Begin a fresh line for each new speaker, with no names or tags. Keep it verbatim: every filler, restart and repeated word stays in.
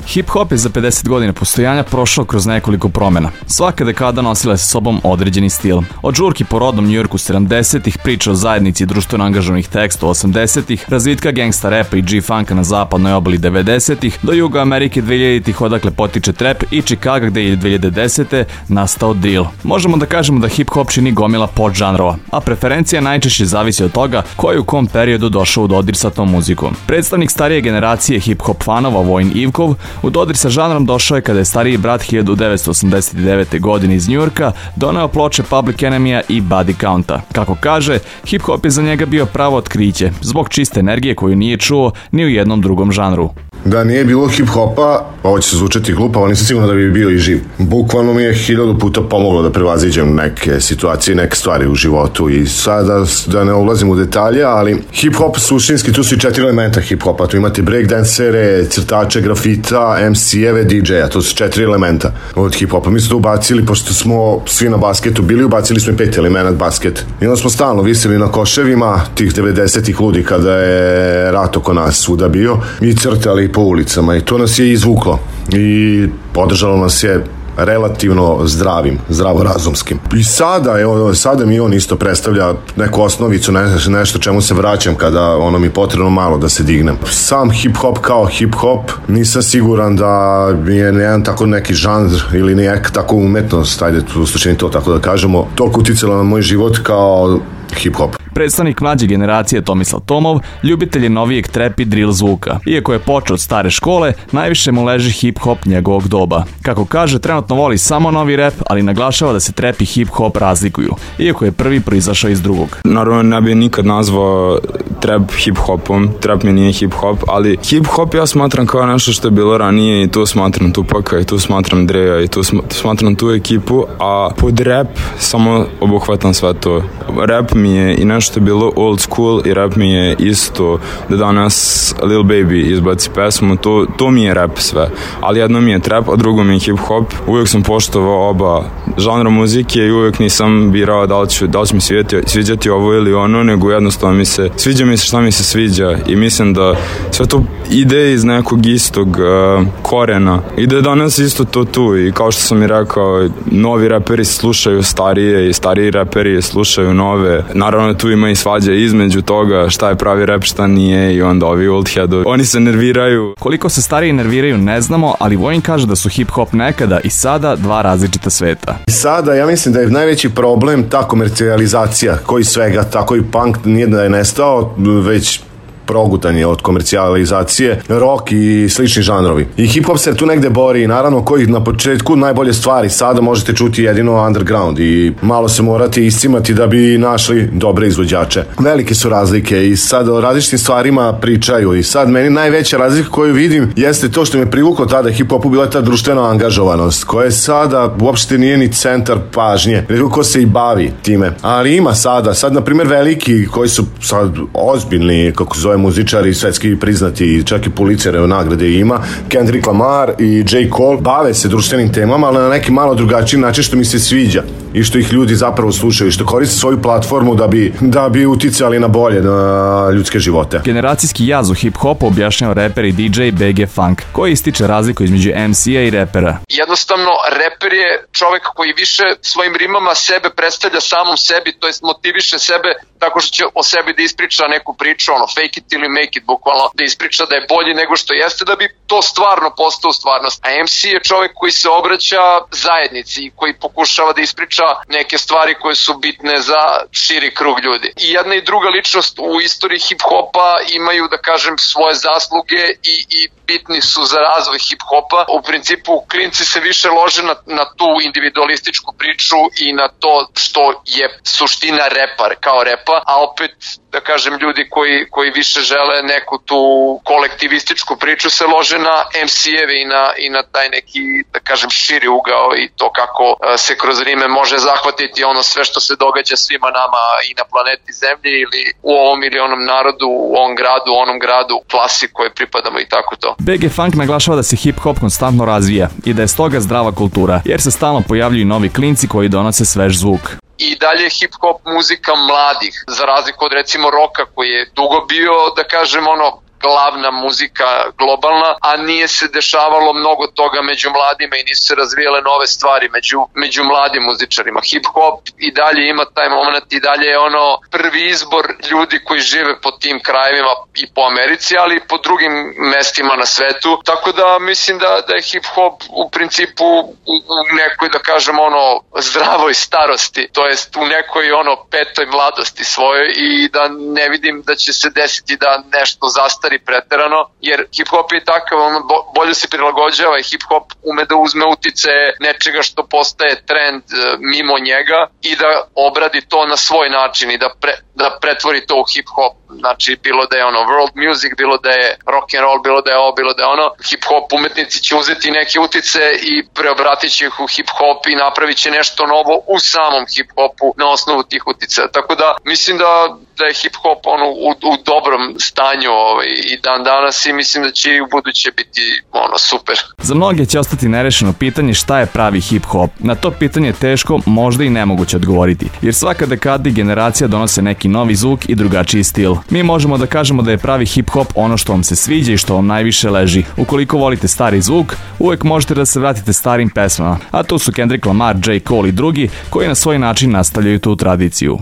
Hip-hop je za pedeset godina postojanja prošao kroz nekoliko promjena. Svaka dekada nosila sa sobom određeni stil. Od žurki po rodnom Njujorku sedamdesetih, priča o zajednici društveno angažovanih teksta osamdesetih, razvitka gangsta repa i G-funka na zapadnoj obali devedesetih, do Juga Amerike dvehiljaditih odakle potiče trap i Chicago gde je dve hiljade desete nastao drill. Možemo da kažemo da hip-hop čini gomila podžanrova, a preferencija najčešće zavisi od toga ko je u kom periodu došao u dodir sa tom muzikom. Predstavnik starije generacije hip-hop fanova Vojin Ivkov u dodir sa žanrom došao je kada je stariji brat hiljadu devetsto osamdeset devete. godine iz Njujorka doneo ploče Public Enemya i Body Counta. Kako kaže, hip-hop je za njega bio pravo otkriće, zbog čiste energije koju nije čuo ni u jednom drugom žanru.
Da nije bilo hip-hopa, ovo će se zvučati glupo, ali nisam sigurno da bi bio i živ. Bukvalno mi je hiljadu puta pomoglo da prevaziđem neke situacije, neke stvari u životu i sada da ne ulazim u detalje, ali hip-hop suštinski, tu su i četiri elementa hip-hopa, tu imate breakdancere, crtače, grafita, em si-eve, di džeja, to su četiri elementa od hip-hopa. Mi smo to ubacili, pošto smo svi na basketu bili, ubacili smo i pet elementa basket. I onda smo stalno visili na koševima tih devedesetih ludi kada je rat oko nas svuda bio i crtali po ulicama i to nas je izvuklo i podržalo nas je relativno zdravim, zdravorazumskim. I sada, evo, sada mi on isto predstavlja neku osnovicu, ne, nešto čemu se vraćam kada ono mi potrebno malo da se dignem. Sam hip-hop kao hip-hop nisam siguran da je jedan tako neki žanr ili neka tako umetnost, ajde u slučaju to tako da kažemo, toliko uticala na moj život kao hip-hop.
Predstavnik mlađe generacije Tomislav Tomov ljubitelj je novijeg trap i drill zvuka. Iako je počeo od stare škole, najviše mu leži hip-hop njegovog doba. Kako kaže, trenutno voli samo novi rap, ali naglašava da se trap i hip-hop razlikuju, iako je prvi proizašao iz drugog.
Naravno, ne bi nikad nazvao trap hip-hopom, trap mi nije hip-hop, ali hip-hop ja smatram kao nešto što je bilo ranije i tu smatram Tupaka i tu smatram Dreja i tu smatram tu ekipu, a pod rap samo obuhvatam sve to. Rap mi je i nešto što je bilo old school i rap mi je isto da danas Lil Baby izbaci pesmu, to, to mi je rap sve, ali jedno mi je trap, a drugo mi je hip-hop. Uvijek sam poštovao oba žanra muzike i uvijek nisam birao da li, ću, da li će mi sviđati, sviđati ovo ili ono, nego jednostavno mi se sviđa mi se šta mi se sviđa i mislim da sve to ide iz nekog istog uh, korena i da je danas isto to tu i kao što sam i rekao, novi raperi slušaju starije i stariji raperi slušaju nove. Naravno tu ima i svađa između toga šta je pravi rap, šta nije i onda ovi old headovi, oni se nerviraju.
Koliko se stariji nerviraju ne znamo, ali Vojin kaže da su hip-hop nekada i sada dva različita sveta.
I sada ja mislim da je najveći problem ta komercijalizacija koji svega, tako i punk nije da je nestao, već progutan je od komercijalizacije, rock i slični žanrovi. I hip-hop se tu negde bori, naravno koji na početku najbolje stvari, sada možete čuti jedino underground i malo se morate iscimati da bi našli dobre izvođače. Velike su razlike i sad o različitim stvarima pričaju i sad meni najveća razlika koju vidim jeste to što me privuklo tada hip-hopu bila ta društvena angažovanost koja sada uopšte nije ni centar pažnje, ko se i bavi time. Ali ima sada, sad na primjer veliki koji su sad ozbiljni, kako se zove muzičari svetski priznati, čak i Pulitzerove nagrade ima, Kendrick Lamar i J. Cole, bave se društvenim temama, ali na neki malo drugačiji način što mi se sviđa i što ih ljudi zapravo slušaju i što koriste svoju platformu da bi, da bi uticali na bolje, na ljudske živote.
Generacijski jaz u hip-hopu objašnjava reper i di džej B G Funk, koji ističe razliku između em si-a i repera.
Jednostavno, reper je čovek koji više svojim rimama sebe predstavlja samom sebi, to jest motiviše sebe tako što će o sebi da ispriča neku priču, ono, fake it ili make it, bukvalno da ispriča da je bolji nego što jeste, da bi to stvarno postao stvarnost. A em si je čovek koji se obraća zajednici i koji pokušava da ispriča neke stvari koje su bitne za širi krug ljudi. I jedna i druga ličnost u istoriji hip-hopa imaju, da kažem, svoje zasluge i, i bitni su za razvoj hip-hopa. U principu, klinci se više lože na, na tu individualističku priču i na to što je suština repa, kao repa, a opet, da kažem, ljudi koji, koji više žele neku tu kolektivističku priču se lože na em si-eve i na, i na taj neki, da kažem, širi ugao i to kako se kroz rime može zahvatiti ono sve što se događa svima nama i na planeti Zemlji ili u ovom ili onom narodu, u ovom gradu, u onom gradu, klasi koje pripadamo i tako to.
B G Funk naglašava da se hip-hop konstantno razvija i da je stoga zdrava kultura, jer se stalno pojavljuju novi klinci koji donose svež zvuk.
I dalje hip-hop muzika mladih, za razliku od recimo roka koji je dugo bio, da kažem, ono, glavna muzika globalna, a nije se dešavalo mnogo toga među mladima i nisu se razvijale nove stvari među, među mladim muzičarima. Hip-hop i dalje ima taj moment, i dalje je ono prvi izbor ljudi koji žive po tim krajevima i po Americi, ali i po drugim mestima na svetu. Tako da mislim da, da je hip-hop u principu u, u nekoj, da kažem, ono zdravoj starosti, to jest u nekoj ono petoj mladosti svojoj, i da ne vidim da će se desiti da nešto zastari preterano, jer hip-hop je takav, on bolje se prilagođava i hip-hop ume da uzme utice nečega što postaje trend mimo njega i da obradi to na svoj način i da, pre, da pretvori to u hip-hop. Znači, bilo da je ono world music, bilo da je rock and roll, bilo da je ovo, bilo da je ono, hip-hop umetnici će uzeti neke utice i preobratit će ih u hip-hop i napravit će nešto novo u samom hip-hopu na osnovu tih utice. Tako da mislim da, da je hip-hop ono u, u dobrom stanju ovaj, i dan danas, i mislim da će i u buduće biti ono super.
Za mnoge će ostati nerešeno pitanje šta je pravi hip-hop. Na to pitanje je teško, možda i nemoguće odgovoriti, jer svaka dekada i generacija donose neki novi zvuk i drugačiji stil. Mi možemo da kažemo da je pravi hip-hop ono što vam se sviđa i što vam najviše leži. Ukoliko volite stari zvuk, uvek možete da se vratite starim pesmama, a tu su Kendrick Lamar, J. Cole i drugi koji na svoj način nastavljaju tu tradiciju.